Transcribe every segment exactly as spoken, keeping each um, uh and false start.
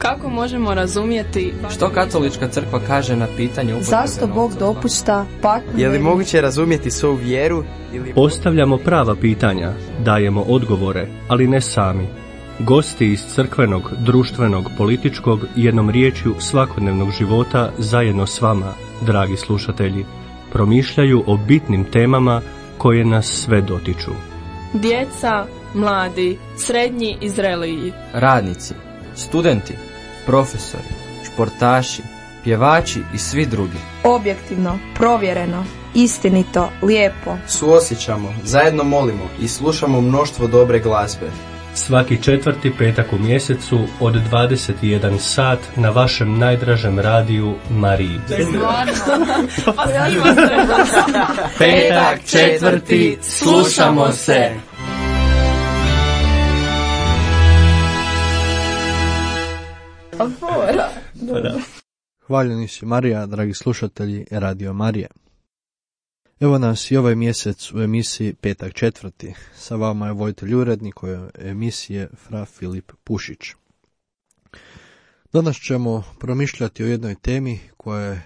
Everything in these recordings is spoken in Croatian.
Kako možemo razumjeti što katolička crkva kaže na pitanje upotrebe zašto Bog dopušta patnju? Je li moguće razumjeti svoju vjeru? Ili... Postavljamo prava pitanja, dajemo odgovore, ali ne sami. Gosti iz crkvenog, društvenog, političkog i jednom riječju svakodnevnog života zajedno s vama, dragi slušatelji, promišljaju o bitnim temama koje nas sve dotiču. Djeca, mladi, srednji i zreliji, radnici, studenti, profesori, športaši, pjevači i svi drugi. Objektivno, provjereno, istinito, lijepo. Suosjećamo, zajedno molimo i slušamo mnoštvo dobre glazbe. Svaki četvrti petak u mjesecu od dvadeset i jedan sat na vašem najdražem radiju Mariji. Petak četvrti, slušamo se! Hvaljeni si Marija, dragi slušatelji Radio Marije. Evo nas i ovaj mjesec u emisiji Petak četvrti. Sa vama je voditelj urednik ove emisije Fra Filip Pušić. Danas ćemo promišljati o jednoj temi koja je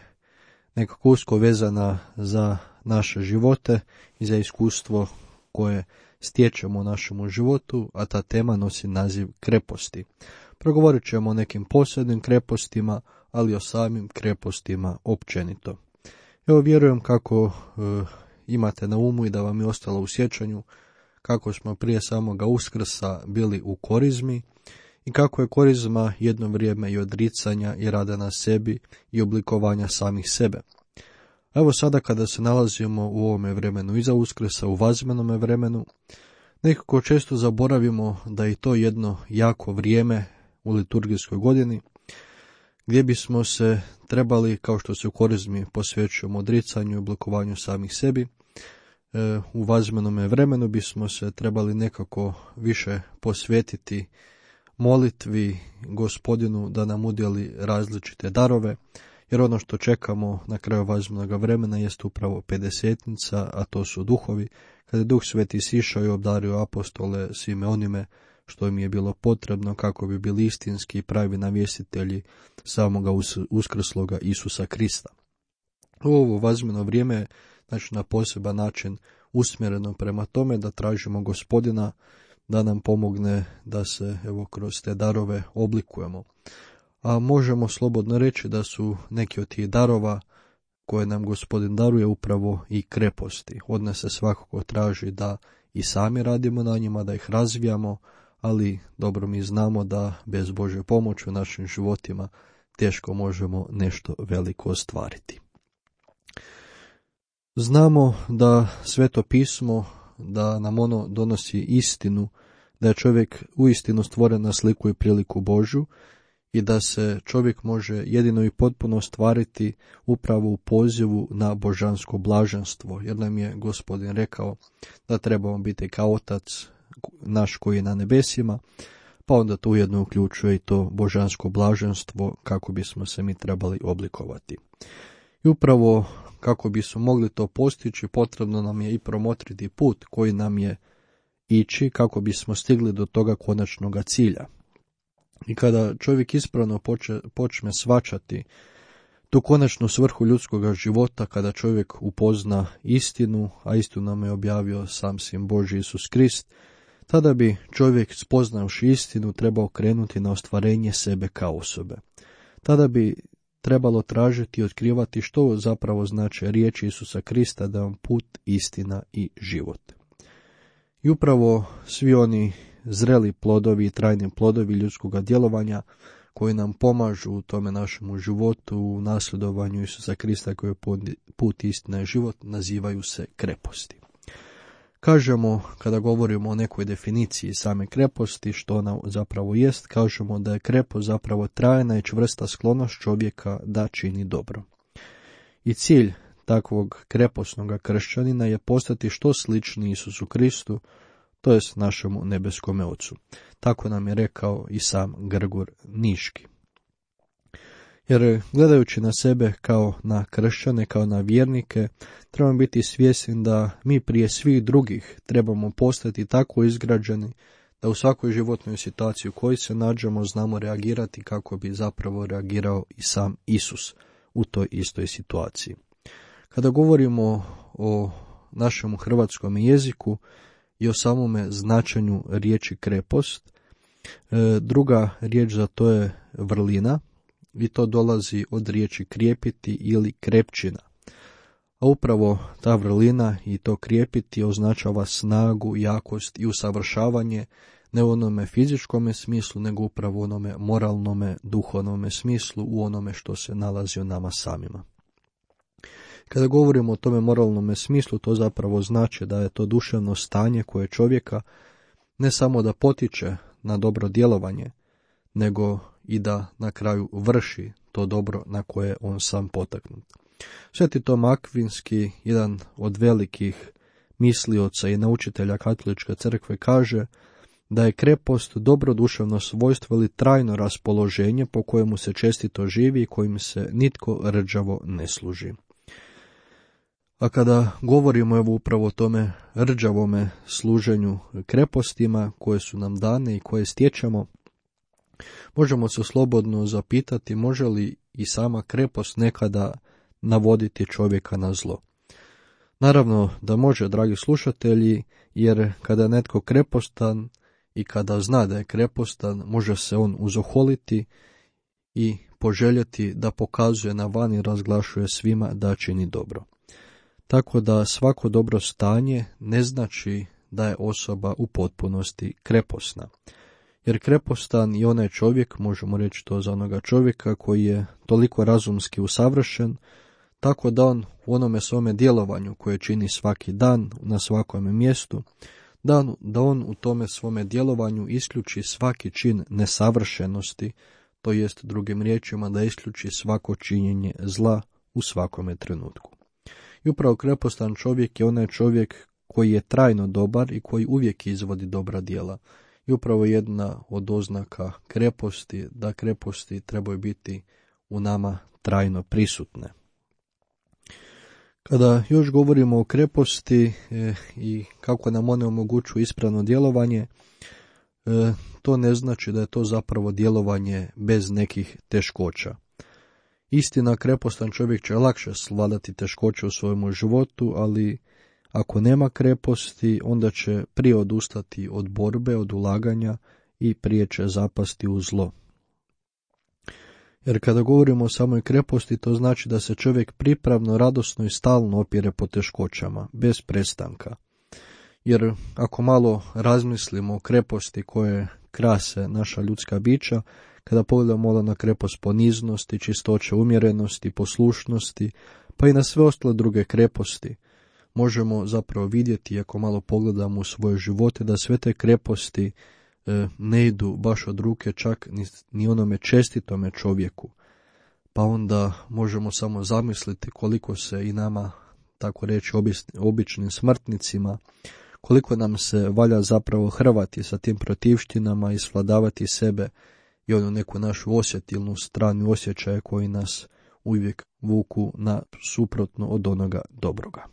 nekako usko vezana za naše živote i za iskustvo koje stječemo u našemu životu, a ta tema nosi naziv kreposti. Progovorit ćemo o nekim posebnim krepostima, ali o samim krepostima općenito. Evo vjerujem kako e, imate na umu i da vam je ostalo u sjećanju kako smo prije samoga Uskrsa bili u korizmi i kako je korizma jedno vrijeme i odricanja i rada na sebi i oblikovanja samih sebe. Evo sada kada se nalazimo u ovome vremenu iza Uskrsa, u vazmenome vremenu, nekako često zaboravimo da je to jedno jako vrijeme u liturgijskoj godini, gdje bismo se trebali, kao što se u korizmi posvećujemo odricanju i oblikovanju samih sebi, u vazmenome vremenu bismo se trebali nekako više posvetiti molitvi Gospodinu da nam udjeli različite darove, jer ono što čekamo na kraju vazmenog vremena jest upravo pedesetnica, a to su duhovi, kada je Duh Sveti sišao i obdario apostole svime onime što im je bilo potrebno kako bi bili istinski i pravi navjestitelji samoga uskrsloga Isusa Krista. Ovo vazmeno vrijeme je znači, na poseban način usmjereno prema tome da tražimo Gospodina da nam pomogne da se evo kroz te darove oblikujemo. A možemo slobodno reći da su neki od tih darova koje nam Gospodin daruje upravo i kreposti. Od nas se svakako traži da i sami radimo na njima, da ih razvijamo, ali dobro mi znamo da bez Božje pomoći u našim životima teško možemo nešto veliko ostvariti. Znamo da Sveto pismo, da nam ono donosi istinu, da je čovjek uistinu stvoren na sliku i priliku Božju i da se čovjek može jedino i potpuno ostvariti upravo u pozivu na božansko blaženstvo, jer nam je Gospodin rekao da trebamo biti kao Otac naš koji je na nebesima, pa onda to ujedno uključuje i to božansko blaženstvo kako bismo se mi trebali oblikovati. I upravo kako bismo mogli to postići, potrebno nam je i promotriti put koji nam je ići kako bismo stigli do toga konačnoga cilja. I kada čovjek ispravno poče, počne shvaćati tu konačnu svrhu ljudskog života, kada čovjek upozna istinu, a istinu nam je objavio sam Sin Božji Isus Krist, tada bi čovjek spoznavši istinu trebao krenuti na ostvarenje sebe kao osobe. Tada bi trebalo tražiti i otkrivati što zapravo znači riječi Isusa Krista da vam put, istina i život. I upravo svi oni zreli plodovi i trajni plodovi ljudskog djelovanja koji nam pomažu u tome našemu životu, u nasljedovanju Isusa Krista koji je put, istina i život, nazivaju se kreposti. Kažemo, kada govorimo o nekoj definiciji same kreposti, što ona zapravo jest, kažemo da je krepost zapravo trajna i čvrsta sklonost čovjeka da čini dobro. I cilj takvog kreposnog kršćanina je postati što slični Isusu Kristu, to jest našemu nebeskome Ocu. Tako nam je rekao i sam Grgur Niški. Jer gledajući na sebe kao na kršćane, kao na vjernike, trebamo biti svjesni da mi prije svih drugih trebamo postati tako izgrađeni da u svakoj životnoj situaciji u kojoj se nađemo znamo reagirati kako bi zapravo reagirao i sam Isus u toj istoj situaciji. Kada govorimo o našem hrvatskom jeziku i o samome značenju riječi krepost, druga riječ za to je vrlina i to dolazi od riječi krijepiti ili krepčina. A upravo ta vrlina i to krijepiti označava snagu, jakost i usavršavanje ne u onome fizičkome smislu, nego upravo u onome moralnome, duhovnome smislu, u onome što se nalazi u nama samima. Kada govorimo o tome moralnome smislu, to zapravo znači da je to duševno stanje koje čovjeka ne samo da potiče na dobro djelovanje, nego i da na kraju vrši to dobro na koje je on sam potaknut. Sveti Tom Akvinski, jedan od velikih mislioca i naučitelja Katoličke crkve, kaže da je krepost dobro duševno svojstvo ili trajno raspoloženje po kojemu se čestito živi i kojim se nitko rđavo ne služi. A kada govorimo evo upravo o tome rđavome služenju krepostima koje su nam dane i koje stječemo, možemo se slobodno zapitati može li i sama krepost nekada navoditi čovjeka na zlo. Naravno da može, dragi slušatelji, jer kada je netko krepostan i kada zna da je krepostan, može se on uzoholiti i poželjeti da pokazuje na van i razglašuje svima da čini dobro. Tako da svako dobro stanje ne znači da je osoba u potpunosti kreposna. Jer krepostan i onaj čovjek, možemo reći to za onoga čovjeka koji je toliko razumski usavršen, tako da on u onome svome djelovanju koje čini svaki dan na svakom mjestu, da, da on u tome svome djelovanju isključi svaki čin nesavršenosti, to jest drugim riječima da isključi svako činjenje zla u svakome trenutku. I upravo krepostan čovjek je onaj čovjek koji je trajno dobar i koji uvijek izvodi dobra djela. I upravo jedna od oznaka kreposti, da kreposti trebaju biti u nama trajno prisutne. Kada još govorimo o kreposti e, i kako nam one omogućuju ispravno djelovanje, e, to ne znači da je to zapravo djelovanje bez nekih teškoća. Istina, krepostan čovjek će lakše svladati teškoće u svojemu životu, ali ako nema kreposti, onda će prije odustati od borbe, od ulaganja i prije će zapasti u zlo. Jer kada govorimo o samoj kreposti, to znači da se čovjek pripravno, radosno i stalno opire po teškoćama, bez prestanka. Jer ako malo razmislimo o kreposti koje krase naša ljudska bića, kada pogledamo na krepost poniznosti, čistoće, umjerenosti, poslušnosti, pa i na sve ostale druge kreposti, možemo zapravo vidjeti, ako malo pogledamo u svoje živote, da sve te kreposti e, ne idu baš od ruke čak ni, ni onome čestitome čovjeku. Pa onda možemo samo zamisliti koliko se i nama, tako reći, običnim smrtnicima, koliko nam se valja zapravo hrvati sa tim protivštinama i svladavati sebe i onu neku našu osjetilnu stranu osjećaja koji nas uvijek vuku na suprotno od onoga dobroga.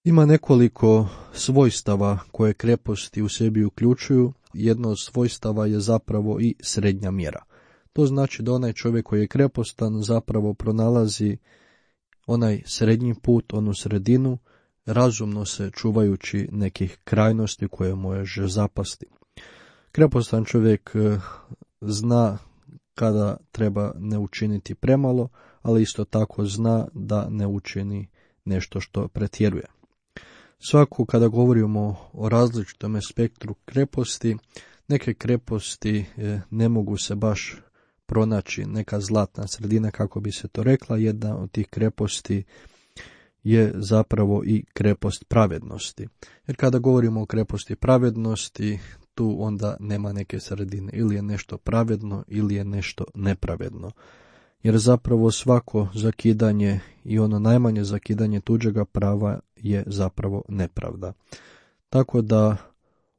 Ima nekoliko svojstava koje kreposti u sebi uključuju. Jedno od svojstava je zapravo i srednja mjera. To znači da onaj čovjek koji je krepostan zapravo pronalazi onaj srednji put, onu sredinu, razumno se čuvajući nekih krajnosti koje može zapasti. Krepostan čovjek zna kada treba ne učiniti premalo, ali isto tako zna da ne učini nešto što pretjeruje. Svako kada govorimo o različitom spektru kreposti, neke kreposti ne mogu se baš pronaći neka zlatna sredina, kako bi se to rekla. Jedna od tih kreposti je zapravo i krepost pravednosti. Jer kada govorimo o kreposti pravednosti, tu onda nema neke sredine. Ili je nešto pravedno, ili je nešto nepravedno. Jer zapravo svako zakidanje i ono najmanje zakidanje tuđega prava je zapravo nepravda. Tako da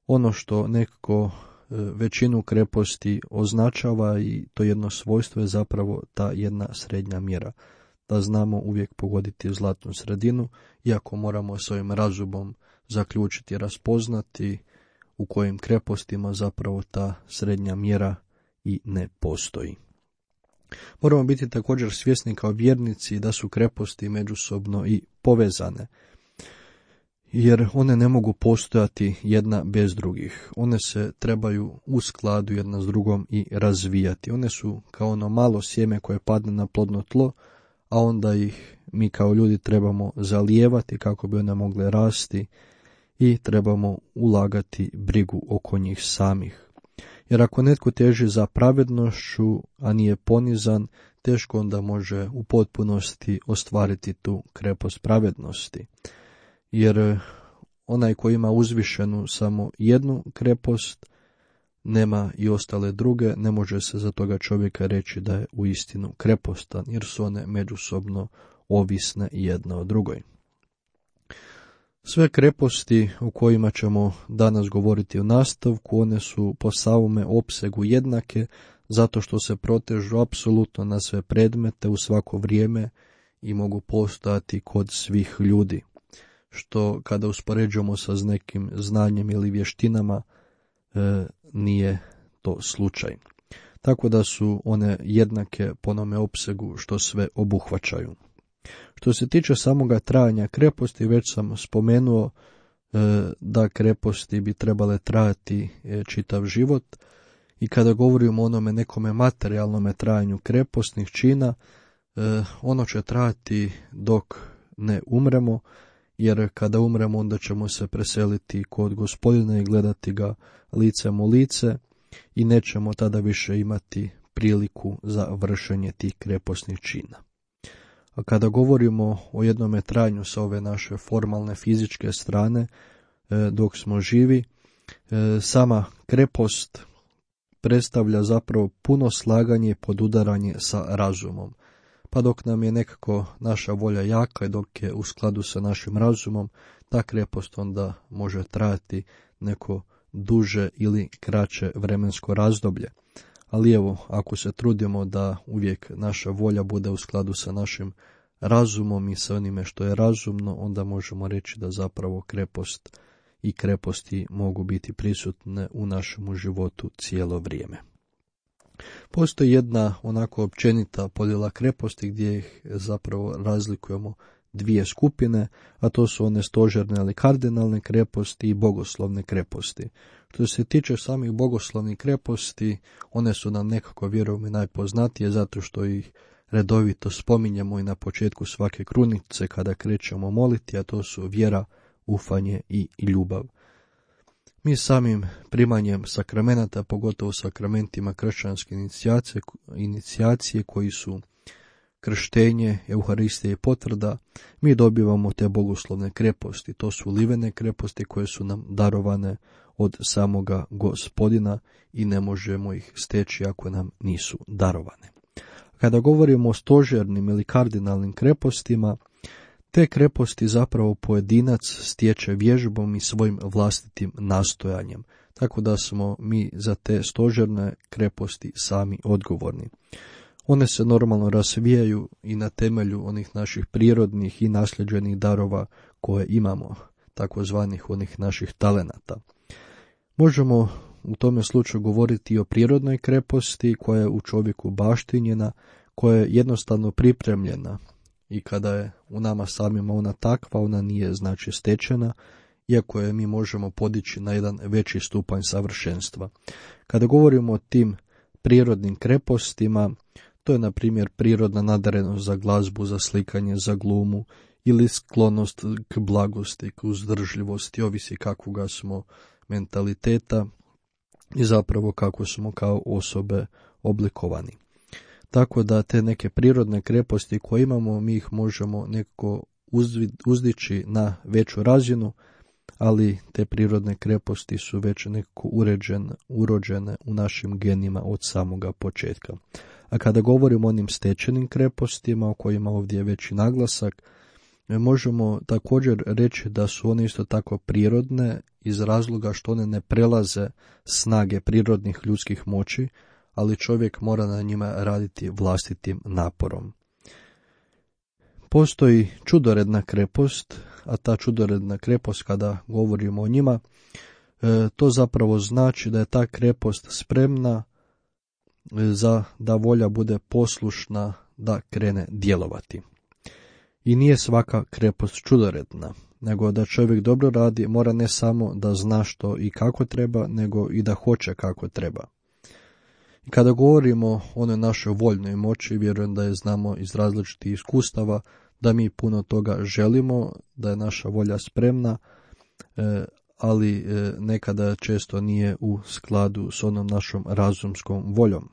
ono što nekako većinu kreposti označava i to jedno svojstvo je zapravo ta jedna srednja mjera. Da znamo uvijek pogoditi zlatnu sredinu, iako moramo svojim razumom zaključiti, raspoznati u kojim krepostima zapravo ta srednja mjera i ne postoji. Moramo biti također svjesni kao vjernici da su kreposti međusobno i povezane, jer one ne mogu postojati jedna bez drugih. One se trebaju u skladu jedna s drugom i razvijati. One su kao ono malo sjeme koje padne na plodno tlo, a onda ih mi kao ljudi trebamo zalijevati kako bi one mogle rasti i trebamo ulagati brigu oko njih samih. Jer ako netko teži za pravednošću, a nije ponizan, teško onda može u potpunosti ostvariti tu krepost pravednosti. Jer onaj koji ima uzvišenu samo jednu krepost, nema i ostale druge, ne može se za toga čovjeka reći da je uistinu krepostan, jer su one međusobno ovisne jedna o drugoj. Sve kreposti o kojima ćemo danas govoriti u nastavku, one su po samome opsegu jednake, zato što se protežu apsolutno na sve predmete u svako vrijeme i mogu postojati kod svih ljudi, što kada uspoređujemo sa nekim znanjem ili vještinama e, nije to slučaj. Tako da su one jednake po onome opsegu što sve obuhvaćaju. Što se tiče samoga trajanja kreposti, već sam spomenuo e, da kreposti bi trebale trajati e, čitav život, i kada govorimo o onome nekome materijalnome trajanju krepostnih čina, e, ono će trajati dok ne umremo, jer kada umremo onda ćemo se preseliti kod Gospodina i gledati ga licem u lice i nećemo tada više imati priliku za vršenje tih krepostnih čina. A kada govorimo o jednome trajanju sa ove naše formalne fizičke strane, dok smo živi, sama krepost predstavlja zapravo puno slaganje i podudaranje sa razumom. Pa dok nam je nekako naša volja jaka i dok je u skladu sa našim razumom, ta krepost onda može trajati neko duže ili kraće vremensko razdoblje. Ali evo, ako se trudimo da uvijek naša volja bude u skladu sa našim razumom i sa onime što je razumno, onda možemo reći da zapravo krepost i kreposti mogu biti prisutne u našemu životu cijelo vrijeme. Postoji jedna onako općenita podjela kreposti gdje ih zapravo razlikujemo dvije skupine, a to su one stožerne ili kardinalne kreposti i bogoslovne kreposti. Što se tiče samih bogoslovnih kreposti, one su nam nekako, vjerujem, najpoznatije zato što ih redovito spominjemo i na početku svake krunice kada krećemo moliti, a to su vjera, ufanje i ljubav. Mi samim primanjem sakramenata, pogotovo sakramentima kršćanske inicijacije, inicijacije koji su krštenje, euharistija i potvrda, mi dobivamo te bogoslovne kreposti. To su livene kreposti koje su nam darovane od samoga Gospodina i ne možemo ih steći ako nam nisu darovane. Kada govorimo o stožernim ili kardinalnim krepostima, te kreposti zapravo pojedinac stječe vježbom i svojim vlastitim nastojanjem, tako da smo mi za te stožerne kreposti sami odgovorni. One se normalno razvijaju i na temelju onih naših prirodnih i nasljeđenih darova koje imamo, takozvanih onih naših talenata. Možemo u tome slučaju govoriti i o prirodnoj kreposti koja je u čovjeku baštinjena, koja je jednostavno pripremljena i kada je u nama samima ona takva, ona nije znači stečena, iako je mi možemo podići na jedan veći stupanj savršenstva. Kada govorimo o tim prirodnim krepostima, to je na primjer prirodna nadarenost za glazbu, za slikanje, za glumu ili sklonost k blagosti, k uzdržljivosti, ovisi kakvoga smo mentaliteta i zapravo kako smo kao osobe oblikovani. Tako da te neke prirodne kreposti koje imamo, mi ih možemo nekako uzdići na veću razinu, ali te prirodne kreposti su već nekako uređene, urođene u našim genima od samoga početka. A kada govorimo o onim stečenim krepostima, o kojima ovdje je veći naglasak, možemo također reći da su one isto tako prirodne iz razloga što one ne prelaze snage prirodnih ljudskih moći, ali čovjek mora na njima raditi vlastitim naporom. Postoji čudoredna krepost, a ta čudoredna krepost, kada govorimo o njima, e, to zapravo znači da je ta krepost spremna za da volja bude poslušna da krene djelovati. I nije svaka krepost čudoredna, nego da čovjek dobro radi mora ne samo da zna što i kako treba, nego i da hoće kako treba. I kada govorimo o onoj našoj voljnoj moći, vjerujem da je znamo iz različitih iskustava, da mi puno toga želimo, da je naša volja spremna, ali nekada često nije u skladu s onom našom razumskom voljom.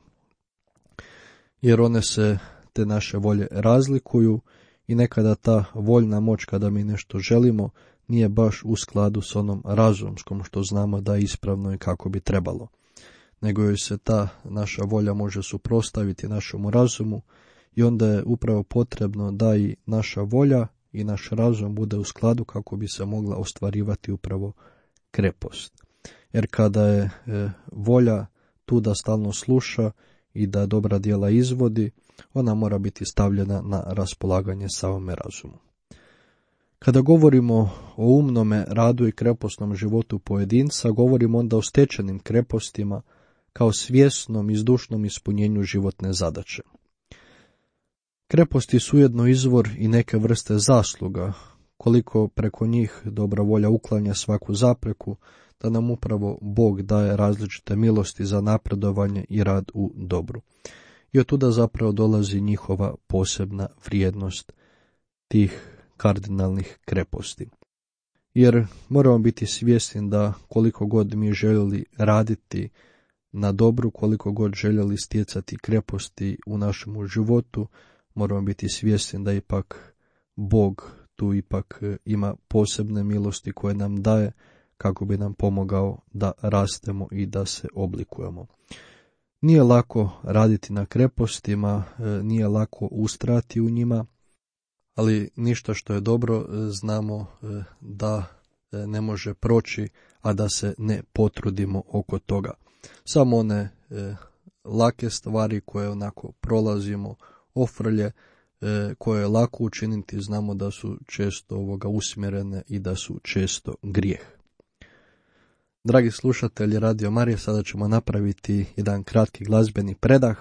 Jer one se, te naše volje, razlikuju i nekada ta voljna moć kada mi nešto želimo nije baš u skladu s onom razumskom što znamo da je ispravno i kako bi trebalo. Nego joj se ta naša volja može suprotstaviti našemu razumu i onda je upravo potrebno da i naša volja i naš razum bude u skladu kako bi se mogla ostvarivati upravo krepost. Jer kada je e, volja tu da stalno sluša i da dobra djela izvodi, ona mora biti stavljena na raspolaganje samome razumu. Kada govorimo o umnome radu i krepostnom životu pojedinca, govorimo onda o stečenim krepostima kao svjesnom i zdušnom ispunjenju životne zadaće. Kreposti su ujedno izvor i neke vrste zasluga, koliko preko njih dobra volja uklanja svaku zapreku, da nam upravo Bog daje različite milosti za napredovanje i rad u dobru. I od tuda zapravo dolazi njihova posebna vrijednost tih kardinalnih kreposti. Jer moramo biti svjesni da koliko god mi željeli raditi na dobru, koliko god željeli stjecati kreposti u našemu životu, moramo biti svjesni da ipak Bog tu ipak ima posebne milosti koje nam daje kako bi nam pomogao da rastemo i da se oblikujemo. Nije lako raditi na krepostima, nije lako ustrati u njima, ali ništa što je dobro znamo da ne može proći, a da se ne potrudimo oko toga. Samo one lake stvari koje onako prolazimo, ofrlje, koje je lako učiniti, znamo da su često ovoga usmjerene i da su često grijeh. Dragi slušatelji Radio Marije, sada ćemo napraviti jedan kratki glazbeni predah,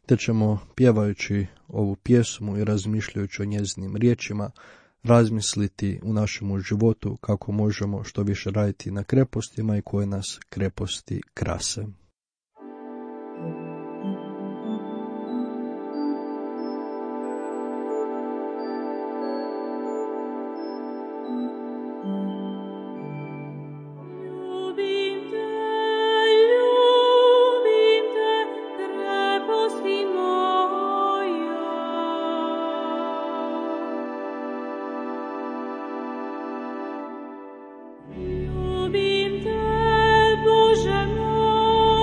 te ćemo pjevajući ovu pjesmu i razmišljajući o njezinim riječima razmisliti u našemu životu kako možemo što više raditi na krepostima i koje nas kreposti krase. Ljubim te, Bože moj.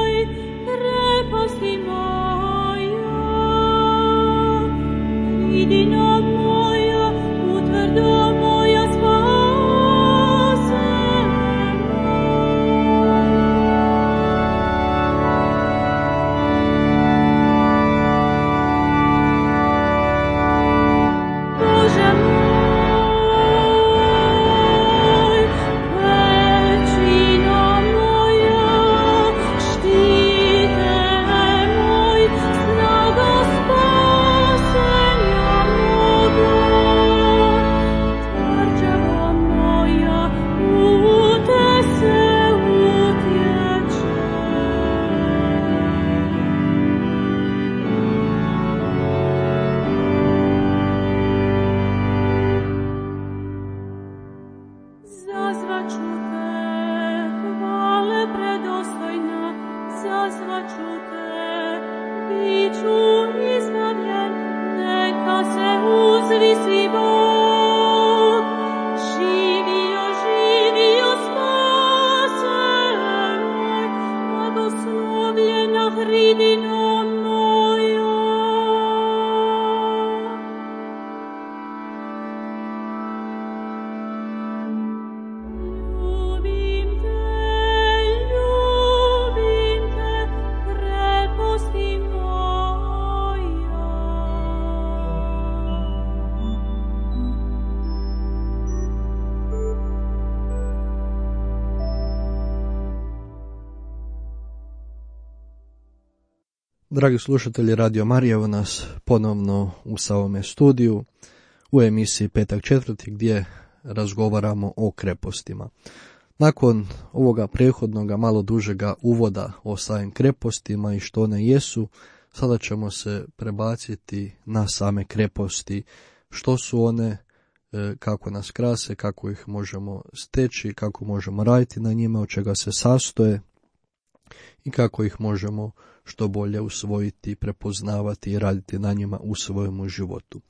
Dragi slušatelji Radio Marija, evo nas ponovno u samome studiju u emisiji Petak četvrti gdje razgovaramo o krepostima. Nakon ovoga prethodnoga malo dužega uvoda o samim krepostima i što one jesu, sada ćemo se prebaciti na same kreposti, što su one, kako nas krase, kako ih možemo steći, kako možemo raditi na njima, od čega se sastoje i kako ih možemo što bolje usvojiti, prepoznavati i raditi na njima u svojemu životu.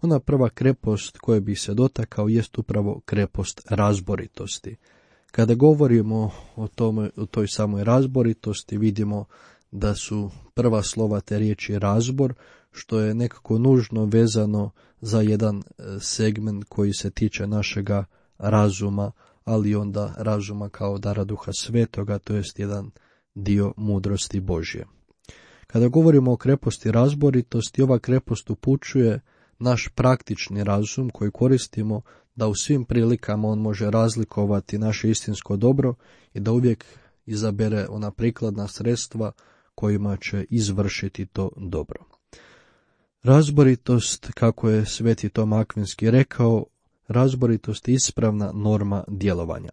Ona prva krepost koja bi se dotakao jest upravo krepost razboritosti. Kada govorimo o, tome, o toj samoj razboritosti, vidimo da su prva slova te riječi razbor, što je nekako nužno vezano za jedan segment koji se tiče našega razuma, ali onda razuma kao dara Duha Svetoga, to jest jedan dio mudrosti Božje. Kada govorimo o kreposti razboritosti, ova krepost upućuje naš praktični razum koji koristimo da u svim prilikama on može razlikovati naše istinsko dobro i da uvijek izabere ona prikladna sredstva kojima će izvršiti to dobro. Razboritost, kako je Sveti Tom Akvinski rekao, razboritost je ispravna norma djelovanja.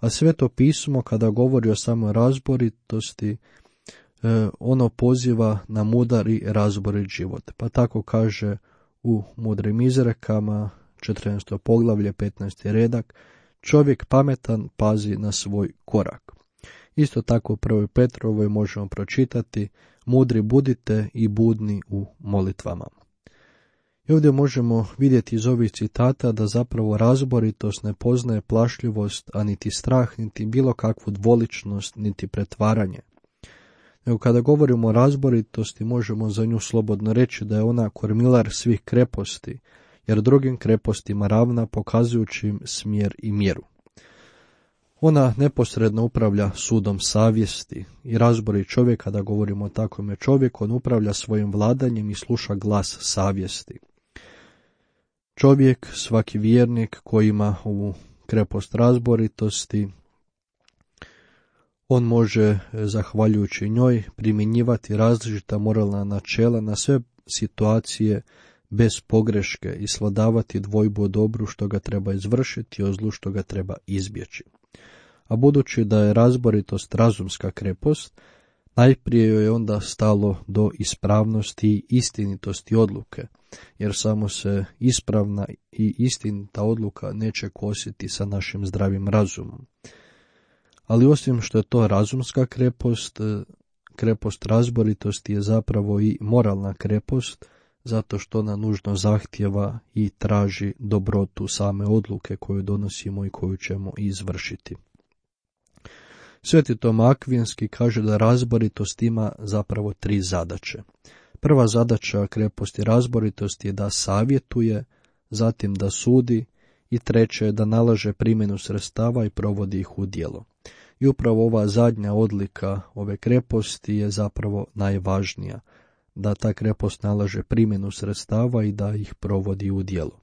A Sveto pismo, kada govori o samoj razboritosti, ono poziva na mudar i razborit život. Pa tako kaže u Mudrim izrekama, četrnaesto poglavlje, petnaesti redak, čovjek pametan pazi na svoj korak. Isto tako u prvoj Petrovoj možemo pročitati, mudri budite i budni u molitvama. I ovdje možemo vidjeti iz ovih citata da zapravo razboritost ne poznaje plašljivost, a niti strah, niti bilo kakvu dvoličnost, niti pretvaranje. Nego kada govorimo o razboritosti, možemo za nju slobodno reći da je ona kormilar svih kreposti, jer drugim krepostima ravna, pokazujući im smjer i mjeru. Ona neposredno upravlja sudom savjesti i razbori čovjek. Kada govorimo o takvome čovjeku, on upravlja svojim vladanjem i sluša glas savjesti. Čovjek, svaki vjernik koji ima ovu krepost razboritosti, on može, zahvaljujući njoj, primjenjivati različita moralna načela na sve situacije bez pogreške i svladavati dvojbu o dobru što ga treba izvršiti i o zlu što ga treba izbjeći. A budući da je razboritost razumska krepost, najprije joj je onda stalo do ispravnosti i istinitosti odluke, jer samo se ispravna i istinita odluka neće kositi sa našim zdravim razumom. Ali osim što je to razumska krepost, krepost razboritosti je zapravo i moralna krepost, zato što ona nužno zahtjeva i traži dobrotu same odluke koju donosimo i koju ćemo izvršiti. Sveti Tom Akvinski kaže da razboritost ima zapravo tri zadaće. Prva zadaća kreposti razboritosti je da savjetuje, zatim da sudi i treće je da nalaže primjenu sredstava i provodi ih u djelo. I upravo ova zadnja odlika ove kreposti je zapravo najvažnija, da ta krepost nalaže primjenu sredstava i da ih provodi u djelo.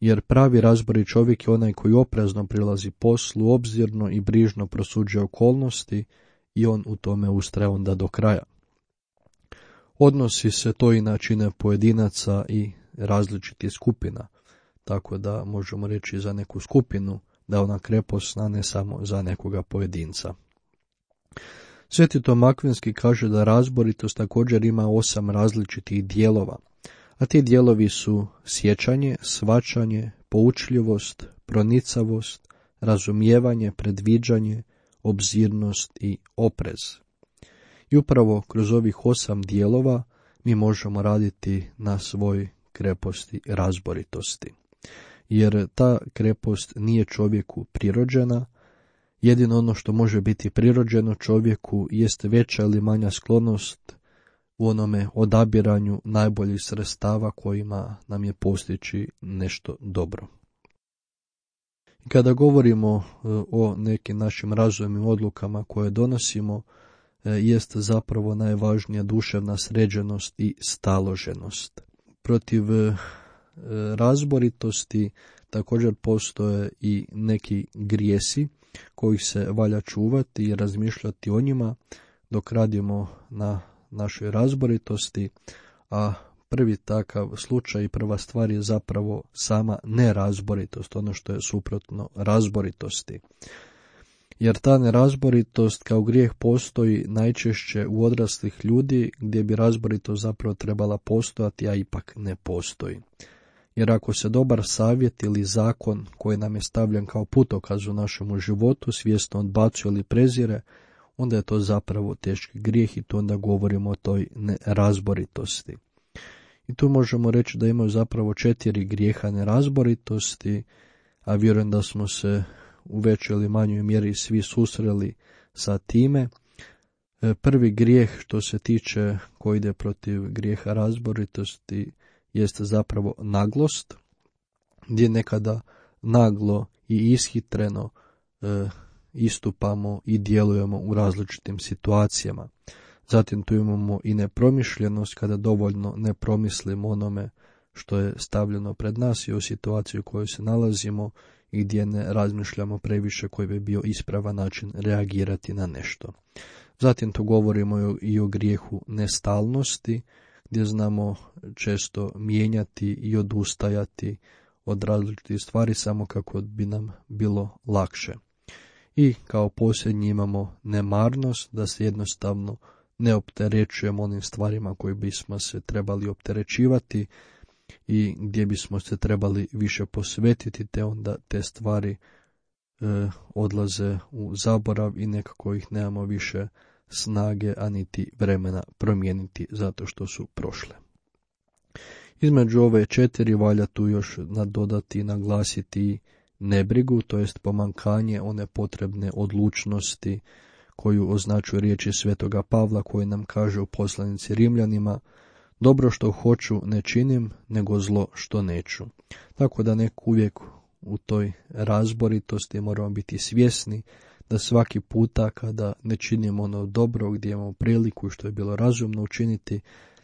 Jer pravi razborit čovjek je onaj koji oprezno prilazi poslu, obzirno i brižno prosuđuje okolnosti i on u tome ustraje onda do kraja. Odnosi se to i na čine pojedinaca i različitih skupina, tako da možemo reći za neku skupinu da ona krepost, a ne samo za nekoga pojedinca. Sveti Tom Akvinski kaže da razboritost također ima osam različitih dijelova, a ti dijelovi su sjećanje, shvaćanje, poučljivost, pronicavost, razumijevanje, predviđanje, obzirnost i oprez. I upravo kroz ovih osam dijelova mi možemo raditi na svoj kreposti razboritosti. Jer ta krepost nije čovjeku prirođena, jedino ono što može biti prirođeno čovjeku jest veća ili manja sklonost u onome odabiranju najboljih sredstava kojima nam je postići nešto dobro. I kada govorimo o nekim našim razumnim odlukama koje donosimo, jest zapravo najvažnija duševna sređenost i staloženost. Protiv razboritosti također postoje i neki grijesi kojih se valja čuvati i razmišljati o njima dok radimo na našoj razboritosti, a prvi takav slučaj i prva stvar je zapravo sama nerazboritost, ono što je suprotno razboritosti. Jer ta nerazboritost kao grijeh postoji najčešće u odraslih ljudi gdje bi razboritost zapravo trebala postojati, a ipak ne postoji. Jer ako se dobar savjet ili zakon koji nam je stavljen kao putokaz u našemu životu svjesno odbacuje ili prezire, onda je to zapravo teški grijeh i tu onda govorimo o toj nerazboritosti. I tu možemo reći da imaju zapravo četiri grijeha nerazboritosti, a vjerujem da smo se u većoj ili manjoj mjeri svi susreli sa time. Prvi grijeh što se tiče koji ide protiv grijeha razboritosti jeste zapravo naglost, gdje nekada naglo i ishitreno e, istupamo i djelujemo u različitim situacijama. Zatim tu imamo i nepromišljenost kada dovoljno ne promislimo onome što je stavljeno pred nas i o situaciji u kojoj se nalazimo i gdje ne razmišljamo previše koji bi bio ispravan način reagirati na nešto. Zatim tu govorimo i o grijehu nestalnosti, gdje znamo često mijenjati i odustajati od različitih stvari samo kako bi nam bilo lakše. I kao posljednji imamo nemarnost, da se jednostavno ne opterećujemo onim stvarima koje bismo se trebali opterećivati i gdje bismo se trebali više posvetiti, te onda te stvari e, odlaze u zaborav i nekako ih nemamo više snage, a niti vremena promijeniti zato što su prošle. Između ove četiri valja tu još nadodati i naglasiti nebrigu, to jest pomankanje one potrebne odlučnosti koju označuje riječi Svetoga Pavla koji nam kaže u poslanici Rimljanima: dobro što hoću ne činim, nego zlo što neću. Tako da nek uvijek u toj razboritosti moramo biti svjesni da svaki puta kada ne činimo ono dobro gdje imamo priliku i što je bilo razumno učiniti,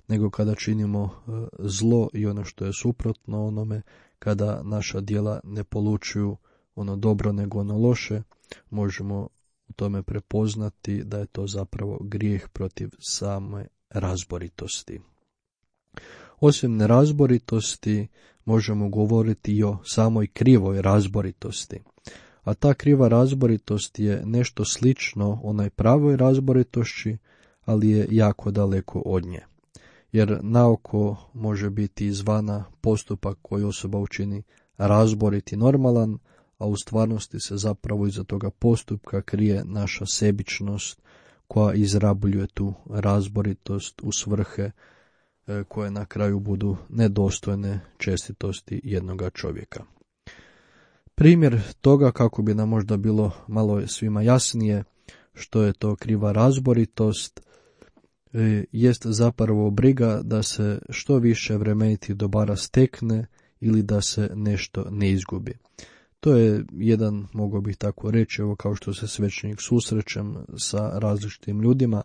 nego kada činimo zlo i ono što je suprotno onome, kada naša djela ne polučuju ono dobro nego ono loše, možemo u tome prepoznati da je to zapravo grijeh protiv same razboritosti. Osim nerazboritosti možemo govoriti i o samoj krivoj razboritosti. A ta kriva razboritost je nešto slično onaj pravoj razboritošći, ali je jako daleko od nje. Jer naoko može biti izvana postupak koji osoba učini razborit i normalan, a u stvarnosti se zapravo iza toga postupka krije naša sebičnost koja izrabljuje tu razboritost u svrhe koje na kraju budu nedostojne čestitosti jednoga čovjeka. Primjer toga, kako bi nam možda bilo malo svima jasnije što je to kriva razboritost, jest zapravo briga da se što više vremenitih dobara stekne ili da se nešto ne izgubi. To je jedan, mogao bih tako reći, evo kao što se svećenik susrećem sa različitim ljudima,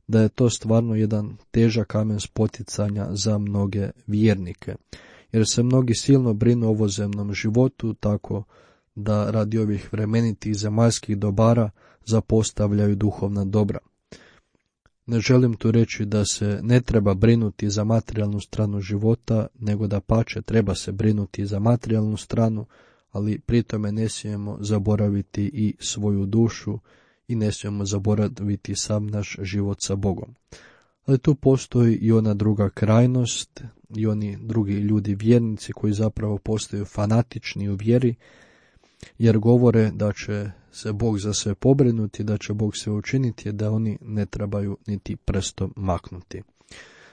da je to stvarno jedan težak kamen spoticanja za mnoge vjernike. Jer se mnogi silno brinu o ovozemnom životu, tako da radi ovih vremenitih zemaljskih dobara zapostavljaju duhovna dobra. Ne želim tu reći da se ne treba brinuti za materijalnu stranu života, nego da pače treba se brinuti za materijalnu stranu, ali pri tome ne smijemo zaboraviti i svoju dušu i ne smijemo zaboraviti sam naš život sa Bogom. Ali tu postoji i ona druga krajnost i oni drugi ljudi vjernici koji zapravo postaju fanatični u vjeri, jer govore da će se Bog za sve pobrinuti, da će Bog sve učiniti, da oni ne trebaju niti prstom maknuti.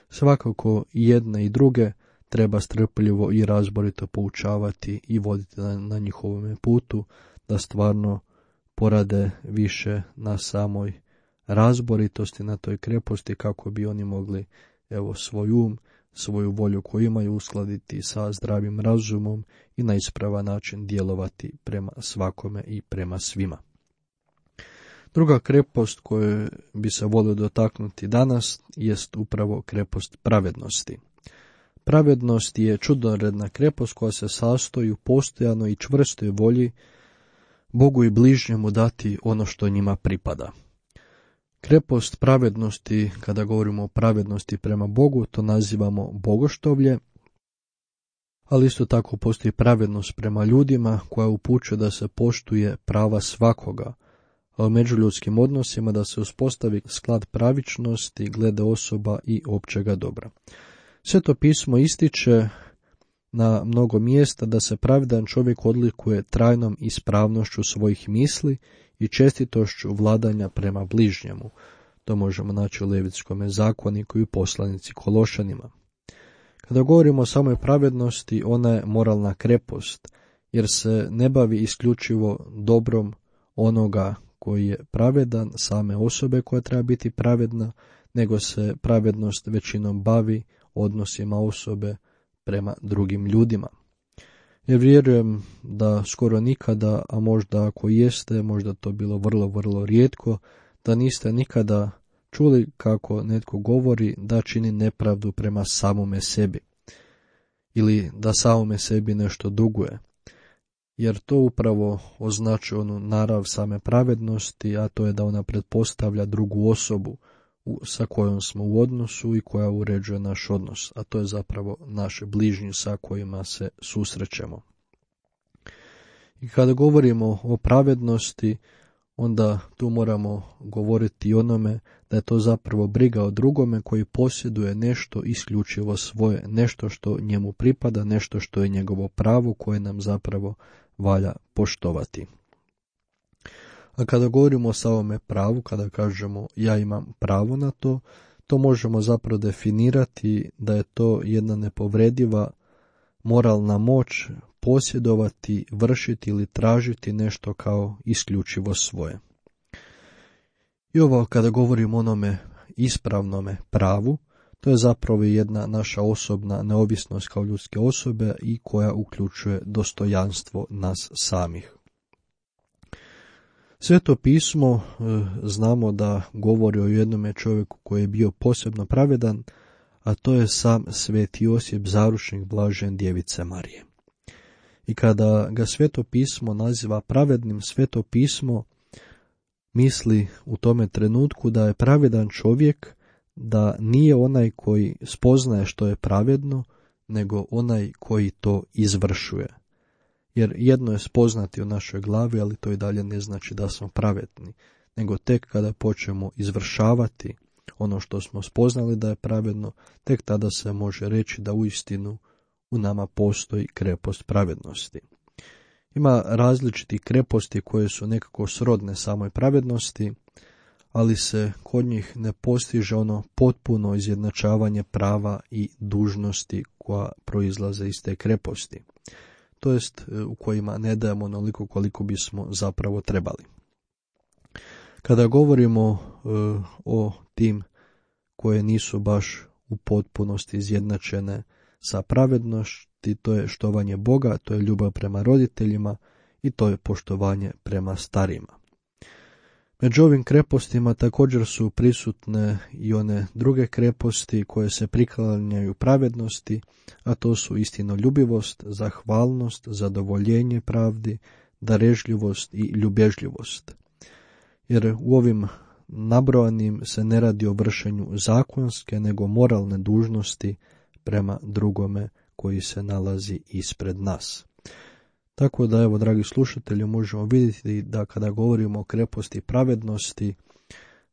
Svakako i jedne i druge treba strpljivo i razborito poučavati i voditi na, na njihovome putu, da stvarno porade više na samoj razboritosti, na toj kreposti, kako bi oni mogli evo svoj um, svoju volju koju imaju uskladiti sa zdravim razumom i na ispravan način djelovati prema svakome i prema svima. Druga krepost koju bi se volio dotaknuti danas jest upravo krepost pravednosti. Pravednost je čudoredna krepost koja se sastoji u postojanoj i čvrstoj volji Bogu i bližnjemu dati ono što njima pripada. Krepost pravednosti, kada govorimo o pravednosti prema Bogu, to nazivamo bogoštovlje, ali isto tako postoji pravednost prema ljudima koja upućuje da se poštuje prava svakoga, a u međuljudskim odnosima da se uspostavi sklad pravičnosti glede osoba i općega dobra. Sveto pismo ističe na mnogo mjesta da se pravedan čovjek odlikuje trajnom ispravnošću svojih misli i čestitošću vladanja prema bližnjemu. To možemo naći u Levitskom zakoniku i u poslanici Kološanima. Kada govorimo o samoj pravednosti, ona je moralna krepost, jer se ne bavi isključivo dobrom onoga koji je pravedan, same osobe koja treba biti pravedna, nego se pravednost većinom bavi odnosima osobe prema drugim ljudima. Jer vjerujem da skoro nikada, a možda ako jeste, možda to bilo vrlo, vrlo rijetko, da niste nikada čuli kako netko govori da čini nepravdu prema samome sebi ili da samome sebi nešto duguje. Jer to upravo označuje onu narav same pravednosti, a to je da ona pretpostavlja drugu osobu sa kojom smo u odnosu i koja uređuje naš odnos, a to je zapravo naše bližnji sa kojima se susrećemo. I kada govorimo o pravednosti, onda tu moramo govoriti i onome da je to zapravo briga o drugome koji posjeduje nešto isključivo svoje, nešto što njemu pripada, nešto što je njegovo pravo koje nam zapravo valja poštovati. A kada govorimo o samome pravu, kada kažemo ja imam pravo na to, to možemo zapravo definirati da je to jedna nepovrediva moralna moć posjedovati, vršiti ili tražiti nešto kao isključivo svoje. I ovo kada govorimo o onome ispravnome pravu, to je zapravo jedna naša osobna neovisnost kao ljudske osobe i koja uključuje dostojanstvo nas samih. Sveto pismo e, znamo da govori o jednome čovjeku koji je bio posebno pravedan, a to je sam sveti Josip, zaručnik blažen Djevice Marije. I kada ga Sveto pismo naziva pravednim, Sveto pismo misli u tome trenutku da je pravedan čovjek, da nije onaj koji spoznaje što je pravedno, nego onaj koji to izvršuje. Jer jedno je spoznati u našoj glavi, ali to i dalje ne znači da smo pravedni, nego tek kada počnemo izvršavati ono što smo spoznali da je pravedno, tek tada se može reći da uistinu u nama postoji krepost pravednosti. Ima različiti kreposti koje su nekako srodne samoj pravednosti, ali se kod njih ne postiže ono potpuno izjednačavanje prava i dužnosti koja proizlaze iz te kreposti, to jest u kojima ne dajemo onoliko koliko bismo zapravo trebali. Kada govorimo e, o tim koje nisu baš u potpunosti izjednačene sa pravednosti, to je štovanje Boga, to je ljubav prema roditeljima i to je poštovanje prema starima. Među ovim krepostima također su prisutne i one druge kreposti koje se priklanjaju pravednosti, a to su istinoljubivost, zahvalnost, zadovoljenje pravdi, darežljivost i ljubježljivost. Jer u ovim nabrojanim se ne radi o vršenju zakonske, nego moralne dužnosti prema drugome koji se nalazi ispred nas. Tako da, evo, dragi slušatelji, možemo vidjeti da kada govorimo o kreposti pravednosti,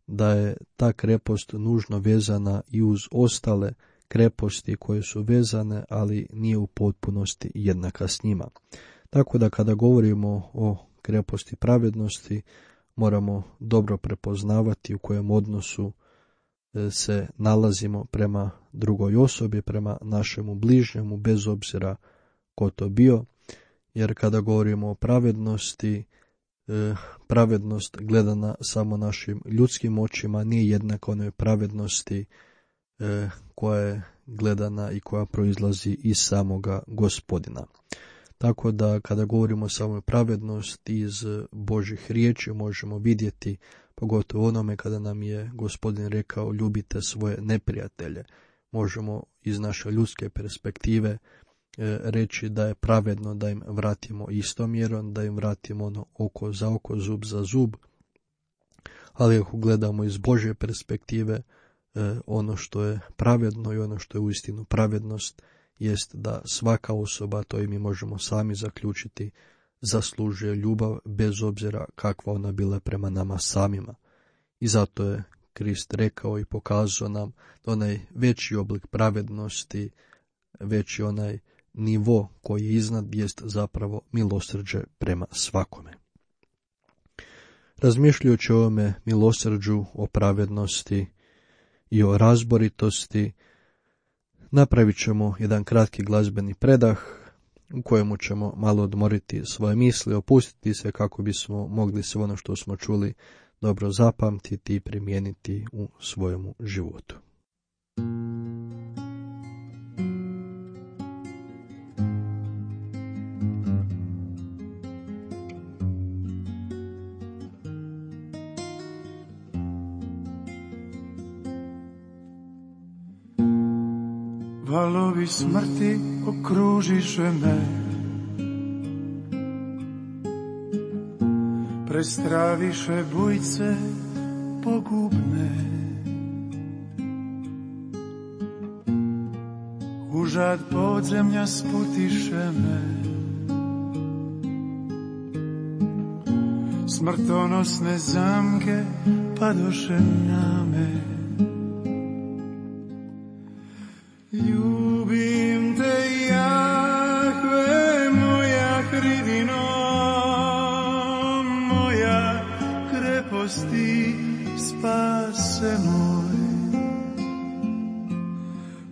da je ta krepost nužno vezana i uz ostale kreposti koje su vezane, ali nije u potpunosti jednaka s njima. Tako da kada govorimo o kreposti pravednosti, moramo dobro prepoznavati u kojem odnosu se nalazimo prema drugoj osobi, prema našemu bližnjemu, bez obzira ko to bio. Jer kada govorimo o pravednosti, pravednost gledana samo našim ljudskim očima nije jednaka onoj pravednosti koja je gledana i koja proizlazi iz samoga Gospodina. Tako da kada govorimo o samoj pravednosti iz Božih riječi možemo vidjeti, pogotovo onome kada nam je Gospodin rekao ljubite svoje neprijatelje, možemo iz naše ljudske perspektive reći da je pravedno da im vratimo istom mjerom, da im vratimo ono oko za oko, zub za zub, ali ako gledamo iz Božje perspektive, e, ono što je pravedno i ono što je uistinu pravednost jest da svaka osoba, to i mi možemo sami zaključiti, zaslužuje ljubav bez obzira kakva ona bila prema nama samima. I zato je Krist rekao i pokazao nam da onaj veći oblik pravednosti, veći onaj nivo koji je iznad jest zapravo milosrđe prema svakome. Razmišljajući o ovome milosrđu, o pravednosti i o razboritosti, napravit ćemo jedan kratki glazbeni predah u kojemu ćemo malo odmoriti svoje misli, opustiti se kako bismo mogli sve ono što smo čuli dobro zapamtiti i primijeniti u svojemu životu. Valovi smrti okružiše me, prestraviše bujce pogubne. Užad podzemlja sputiše me, smrtonosne zamke padoše na me. Ljubim te, Jahve, moja hridino, moja kreposti, spase moj.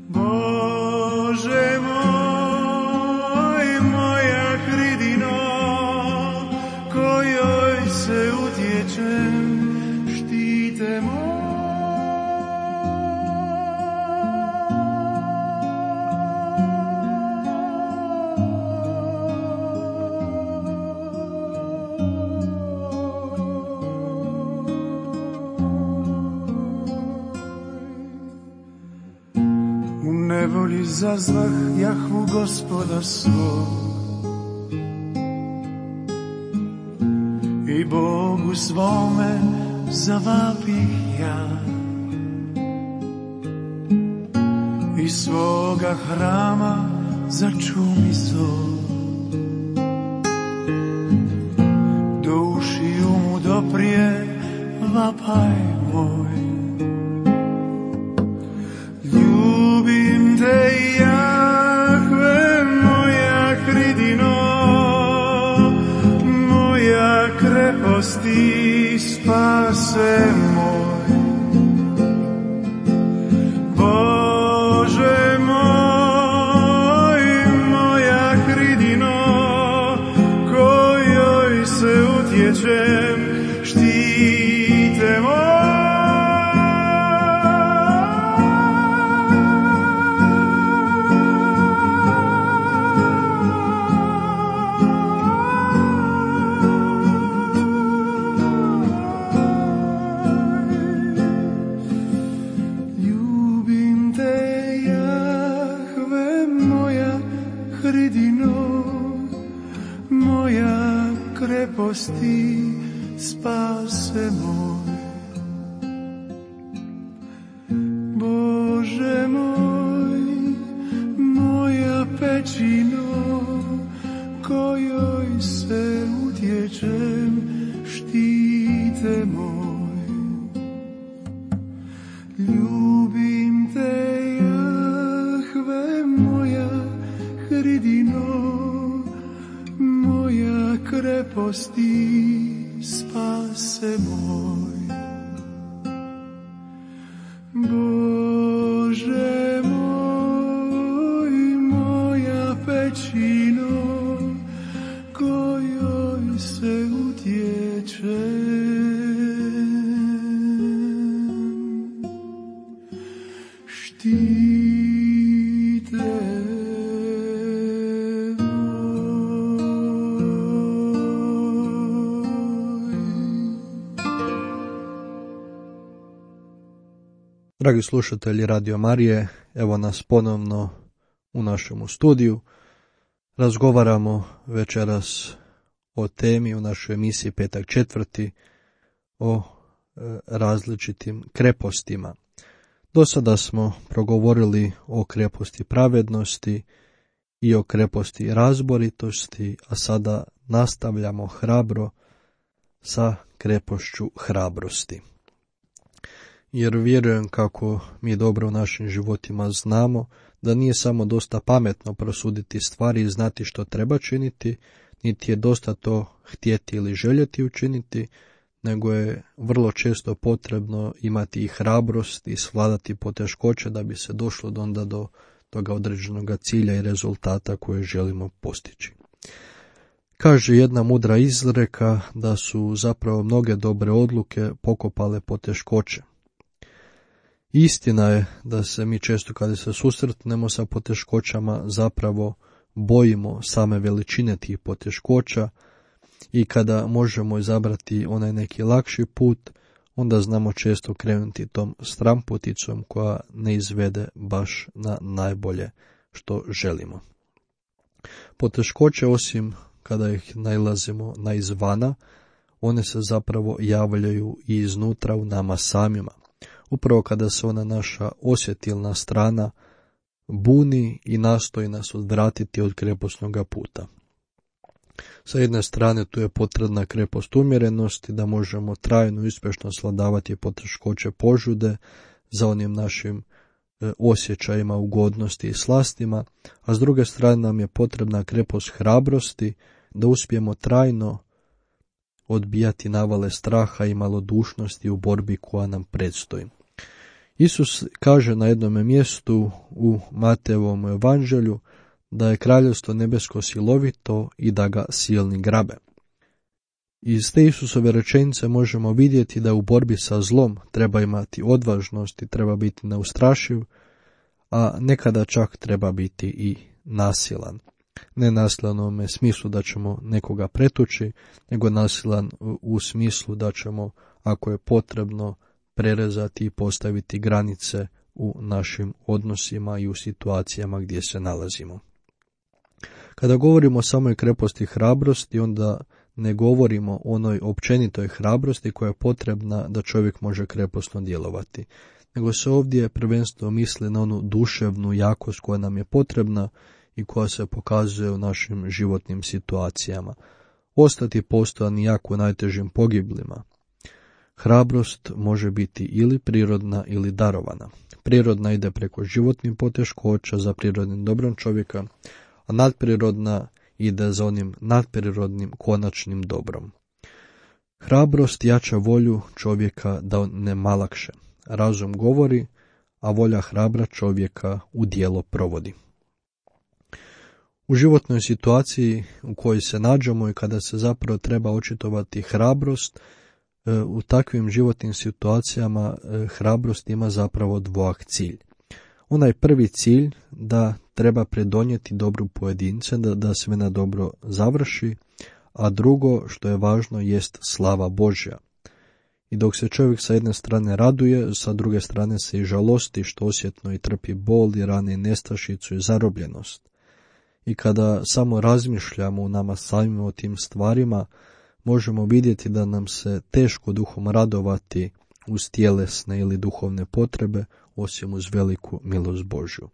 Bože moj, moja hridino, kojoj se utječem, štite moj. Nevoli zazvah Jahvu Gospoda svog i Bogu svome zavapih ja. Iz svoga hrama začumi zov, do ušiju mu doprije vapaj moj. Ljubim te, Jahve, moja hridino, moja kreposti, spase moj. Bože moj, moja hridino, kojoj se utječem, štite moj. Kreposti, spase moj. Bože moj, moja pećino, kojoj se utječem, štite moj. Ljubim te, Jahve, moja hridino, moja kreposti, spase moj. Bože moj, moja pećino, kojoj se utječem, štite. Dragi slušatelji Radio Marije, evo nas ponovno u našemu studiju. Razgovaramo večeras o temi u našoj emisiji Petak četvrti, o različitim krepostima. Do sada smo progovorili o kreposti pravednosti i o kreposti razboritosti, a sada nastavljamo hrabro sa krepošću hrabrosti. Jer vjerujem kako mi dobro u našim životima znamo da nije samo dosta pametno prosuditi stvari i znati što treba činiti, niti je dosta to htjeti ili željeti učiniti, nego je vrlo često potrebno imati i hrabrost i svladati poteškoće da bi se došlo do onda do toga određenog cilja i rezultata koje želimo postići. Kaže jedna mudra izreka da su zapravo mnoge dobre odluke pokopale poteškoće. Istina je da se mi često kada se susretnemo sa poteškoćama zapravo bojimo same veličine tih poteškoća i kada možemo izabrati onaj neki lakši put, onda znamo često krenuti tom stramputicom koja ne izvede baš na najbolje što želimo. Poteškoće, osim kada ih nailazimo na izvana, one se zapravo javljaju i iznutra u nama samima. Upravo kada se ona naša osjetilna strana buni i nastoji nas odvratiti od kreposnog puta. Sa jedne strane tu je potrebna krepost umjerenosti da možemo trajno i uspješno svladavati poteškoće požude za onim našim e, osjećajima ugodnosti i slastima, a s druge strane nam je potrebna krepost hrabrosti da uspijemo trajno odbijati navale straha i malodušnosti u borbi koja nam predstoji. Isus kaže na jednom mjestu u Matejevom evanđelju da je kraljevstvo nebesko silovito i da ga silni grabe. Iz te Isusove rečenice možemo vidjeti da u borbi sa zlom treba imati odvažnost i treba biti neustrašiv, a nekada čak treba biti i nasilan. Ne nasilan u ovome smislu da ćemo nekoga pretući, nego nasilan u smislu da ćemo, ako je potrebno, prerezati i postaviti granice u našim odnosima i u situacijama gdje se nalazimo. Kada govorimo o samoj kreposti hrabrosti, onda ne govorimo o onoj općenitoj hrabrosti koja je potrebna da čovjek može kreposno djelovati, nego se ovdje prvenstveno misli na onu duševnu jakost koja nam je potrebna i koja se pokazuje u našim životnim situacijama. Ostati postojan jak u najtežim pogiblima. Hrabrost može biti ili prirodna ili darovana. Prirodna ide preko životnih poteškoća za prirodnim dobrom čovjeka, a nadprirodna ide za onim nadprirodnim konačnim dobrom. Hrabrost jača volju čovjeka da on ne malakše. Razum govori, a volja hrabra čovjeka u djelo provodi. U životnoj situaciji u kojoj se nađemo i kada se zapravo treba očitovati hrabrost, u takvim životnim situacijama hrabrost ima zapravo dvojak cilj. Onaj prvi cilj da treba predonijeti dobru pojedince, da, da sve na dobro završi, a drugo što je važno jest slava Božja. I dok se čovjek sa jedne strane raduje, sa druge strane se i žalosti što osjetno i trpi bol i rane i nestašicu i zarobljenost. I kada samo razmišljamo u nama samima o tim stvarima, možemo vidjeti da nam se teško duhom radovati uz tjelesne ili duhovne potrebe, osim uz veliku milost Božju.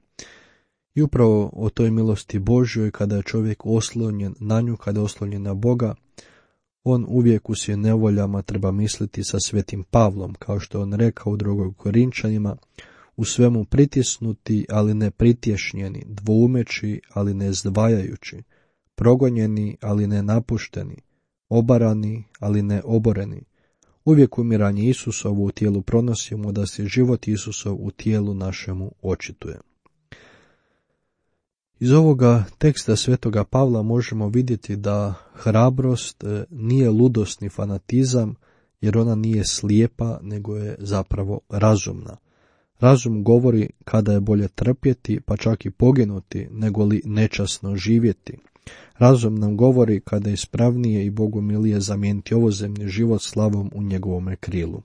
I upravo o toj milosti Božjoj, kada je čovjek oslonjen na nju, kada je oslonjen na Boga, on uvijek u svim nevoljama treba misliti sa svetim Pavlom, kao što on rekao u drugoj Korinčanima, u svemu pritisnuti, ali ne pritješnjeni, dvoumeći, ali ne zdvajajući, progonjeni, ali ne napušteni, obarani, ali ne oboreni. Uvijek umiranje Isusovu u tijelu pronosimo, da se život Isusov u tijelu našemu očituje. Iz ovoga teksta svetoga Pavla možemo vidjeti da hrabrost nije ludost ni fanatizam, jer ona nije slijepa, nego je zapravo razumna. Razum govori kada je bolje trpjeti, pa čak i poginuti, nego li nečasno živjeti. Razum nam govori kada je ispravnije i Bogu milije zamijeniti ovozemni život slavom u njegovome krilu.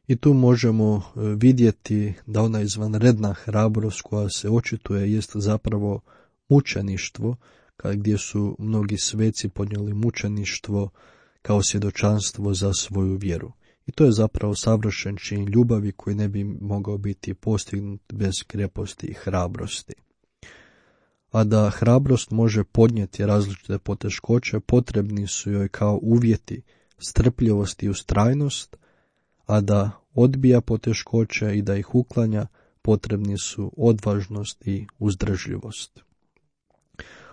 I tu možemo vidjeti da ona izvanredna hrabrost koja se očituje jest zapravo mučeništvo, gdje su mnogi sveci podnijeli mučeništvo kao svjedočanstvo za svoju vjeru. I to je zapravo savršen čin ljubavi koji ne bi mogao biti postignut bez kreposti i hrabrosti. A da hrabrost može podnijeti različite poteškoće, potrebni su joj kao uvjeti strpljivost i ustrajnost, a da odbija poteškoće i da ih uklanja, potrebni su odvažnost i uzdržljivost.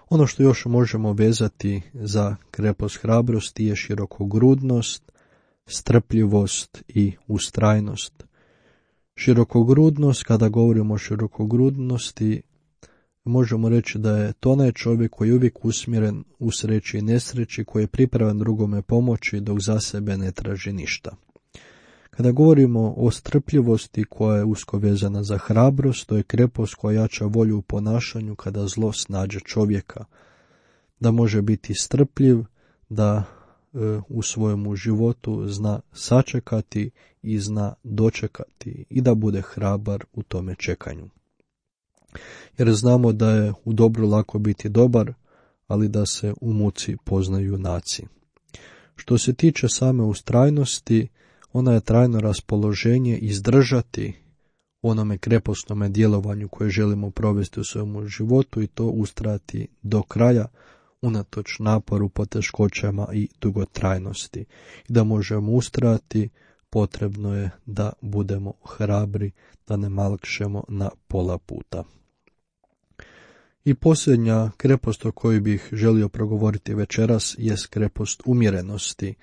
Ono što još možemo vezati za krepost hrabrosti je širokogrudnost, strpljivost i ustrajnost. Širokogrudnost, kada govorimo o širokogrudnosti, možemo reći da je to onaj čovjek koji je uvijek usmjeren u sreći i nesreći, koji je pripravan drugome pomoći dok za sebe ne traži ništa. Kada govorimo o strpljivosti koja je usko vezana za hrabrost, to je krepost koja jača volju u ponašanju kada zlo snađe čovjeka. Da može biti strpljiv, da e, u svojemu životu zna sačekati i zna dočekati i da bude hrabar u tome čekanju. Jer znamo da je u dobru lako biti dobar, ali da se u muci poznaju junaci. Što se tiče same ustrajnosti, ona je trajno raspoloženje izdržati onome krepostnome djelovanju koje želimo provesti u svojemu životu i to ustrajati do kraja unatoč naporu, poteškoćama i dugotrajnosti. I da možemo ustrajati, potrebno je da budemo hrabri, da ne malkšemo na pola puta. I posljednja krepost o kojoj bih želio progovoriti večeras je krepost umjerenosti.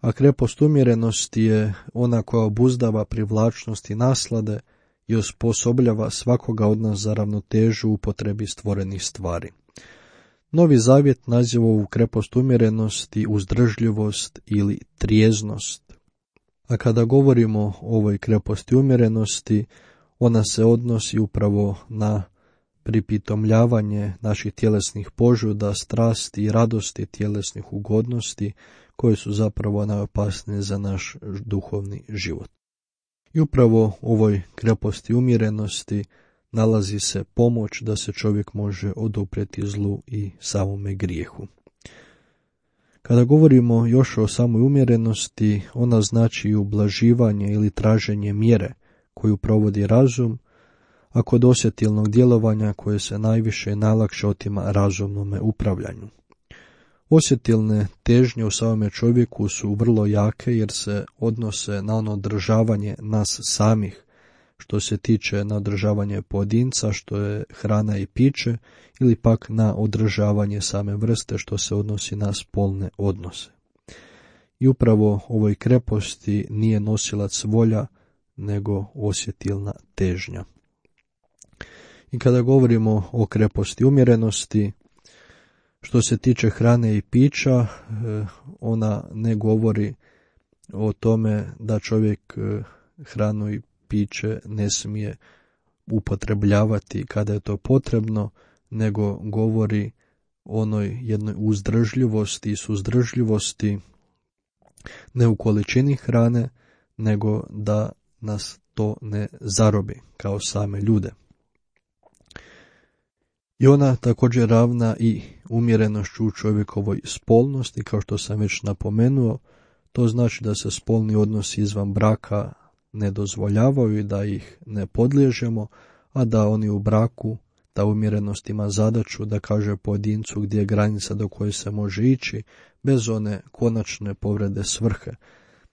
A krepost umjerenosti je ona koja obuzdava privlačnost i naslade i osposobljava svakoga od nas za ravnotežu u upotrebi stvorenih stvari. Novi Zavjet naziva ovu krepost umjerenosti uzdržljivost ili trijeznost. A kada govorimo o ovoj kreposti umjerenosti, ona se odnosi upravo na pripitomljavanje naših tjelesnih požuda, strasti i radosti tjelesnih ugodnosti, koje su zapravo najopasnije za naš duhovni život. I upravo u ovoj kreposti umjerenosti nalazi se pomoć da se čovjek može oduprijeti zlu i samome grijehu. Kada govorimo još o samoj umjerenosti, ona znači i ublaživanje ili traženje mjere koju provodi razum, a kod osjetilnog djelovanja koje se najviše i najlakše otima razumnome upravljanju. Osjetilne težnje u samome čovjeku su vrlo jake jer se odnose na ono održavanje nas samih, što se tiče na održavanje pojedinca, što je hrana i piće, ili pak na održavanje same vrste, što se odnosi na spolne odnose. I upravo ovoj kreposti nije nosilac volja, nego osjetilna težnja. I kada govorimo o kreposti umjerenosti, što se tiče hrane i pića, ona ne govori o tome da čovjek hranu i piće ne smije upotrebljavati kada je to potrebno, nego govori o onoj jednoj uzdržljivosti i suzdržljivosti ne u količini hrane, nego da nas to ne zarobi kao same ljude. I ona također ravna i umjerenošću u čovjekovoj spolnosti, kao što sam već napomenuo. To znači da se spolni odnosi izvan braka ne dozvoljavaju i da ih ne podliježemo, a da oni u braku, ta umjerenost ima zadaću da kaže pojedincu gdje je granica do koje se može ići, bez one konačne povrede svrhe,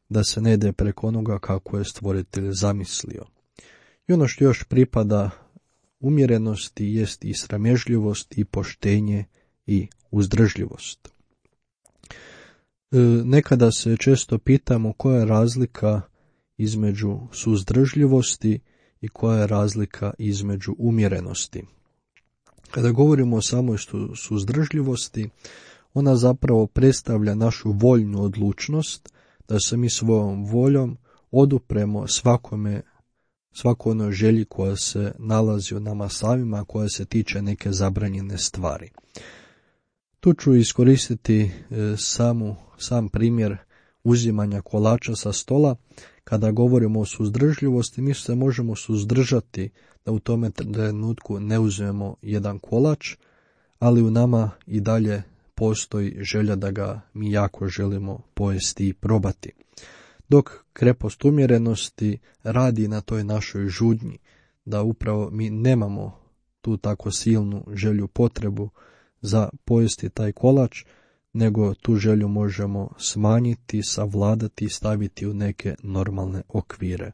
da se ne ide preko onoga kako je stvoritelj zamislio. I ono što još pripada umjerenosti jest i sramežljivost i poštenje i uzdržljivost. E, nekada se često pitamo koja je razlika između suzdržljivosti i koja je razlika između umjerenosti. Kada govorimo o samoj suzdržljivosti, ona zapravo predstavlja našu voljnu odlučnost da se mi svojom voljom odupremo svakome svako onoj želji koja se nalazi u nama samima, koja se tiče neke zabranjene stvari. Tu ću iskoristiti e, samu, sam primjer uzimanja kolača sa stola. Kada govorimo o suzdržljivosti, mi se možemo suzdržati da u tome trenutku ne uzmemo jedan kolač, ali u nama i dalje postoji želja da ga mi jako želimo pojesti i probati. Dok krepost umjerenosti radi na toj našoj žudnji, da upravo mi nemamo tu tako silnu želju, potrebu za pojesti taj kolač, nego tu želju možemo smanjiti, savladati i staviti u neke normalne okvire.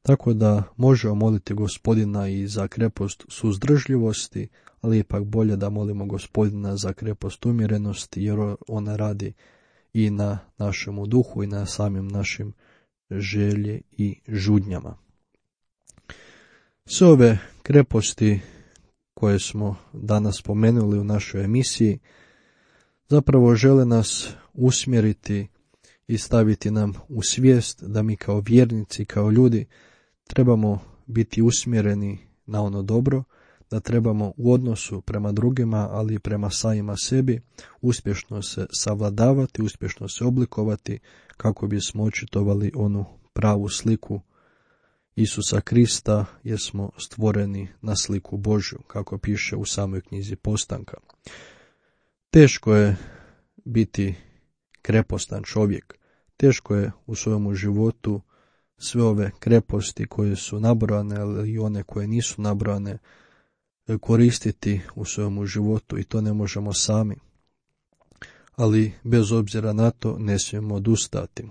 Tako da možemo moliti Gospodina i za krepost suzdržljivosti, ali ipak bolje da molimo Gospodina za krepost umjerenosti, jer ona radi i na našemu duhu i na samim našim želje i žudnjama. Sve ove kreposti koje smo danas spomenuli u našoj emisiji zapravo žele nas usmjeriti i staviti nam u svijest da mi kao vjernici, kao ljudi trebamo biti usmjereni na ono dobro, da trebamo u odnosu prema drugima, ali i prema samima sebi uspješno se savladavati, uspješno se oblikovati kako bismo očitovali onu pravu sliku Isusa Krista, jer smo stvoreni na sliku Božju, kako piše u samoj knjizi Postanka. Teško je biti krepostan čovjek, teško je u svojemu životu sve ove kreposti koje su nabrojane, ali i one koje nisu nabrojane, koristiti u svojemu životu i to ne možemo sami. Ali bez obzira na to ne smijemo odustati.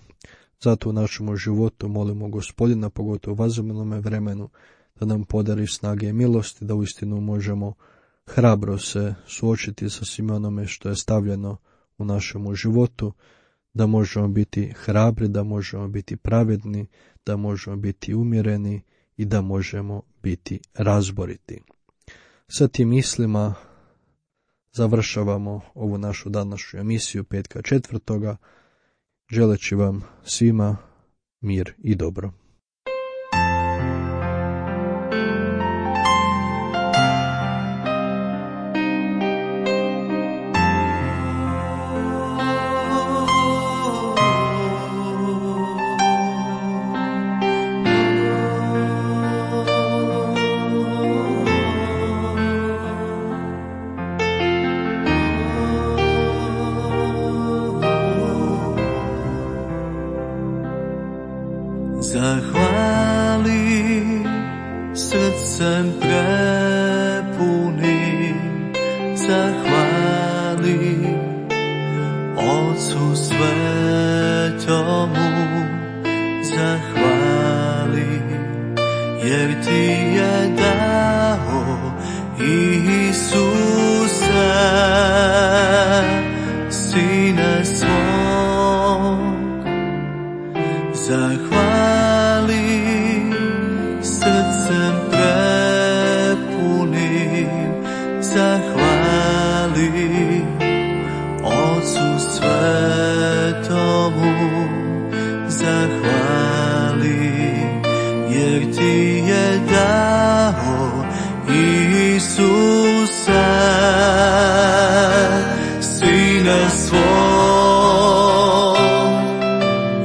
Zato u našemu životu molimo Gospodina, pogotovo u vazovnome vremenu, da nam podari snage i milosti, da uistinu možemo hrabro se suočiti sa svime onome što je stavljeno u našemu životu, da možemo biti hrabri, da možemo biti pravedni, da možemo biti umjereni i da možemo biti razboriti. Sa tim mislima završavamo ovu našu današnju emisiju petka četvrtoga, želeći vam svima mir i dobro. Zahvali srcem prepunim, zahvali Ocu svetomu, zahvali jer ti je dao Isuse, Sine svog. Zahvali srcem prepunim, zahvali Ocu svetomu, zahvali jer ti je dao Isuse, Sine svog.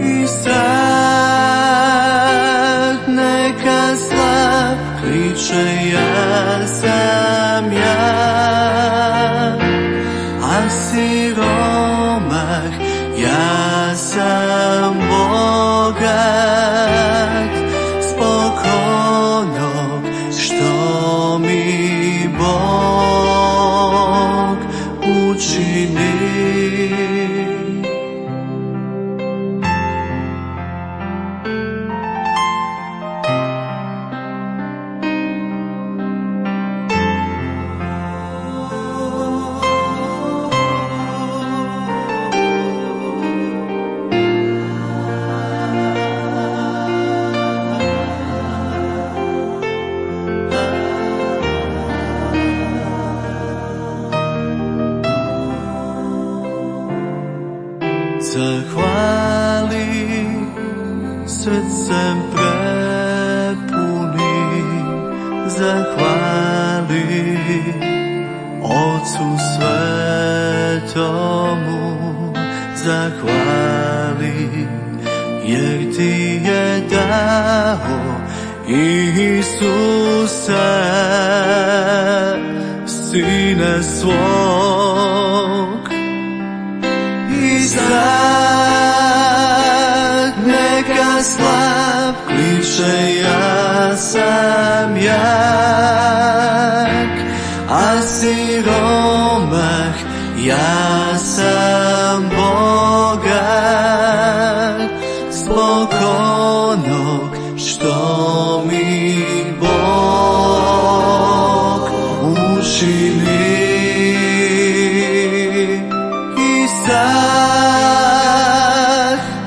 I sad neka slab kliče, ja sam ja, a siromah, ja sam bogat zbog onog što mi Bog učini. Zahvali srcem prepunim, zahvali Ocu svetomu, zahvali jer ti je dao Isuse, Sine svog. sad neka slab kliče ja sam jak, a siromah ja sam bogat zbog onog što mi Bog učini. I sad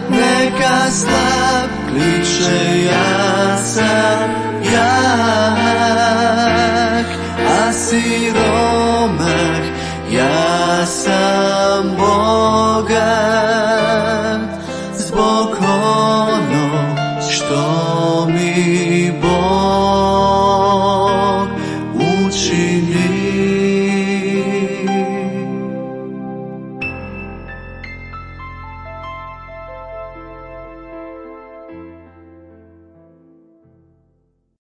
neka slab kliče ja sam jak, a siromah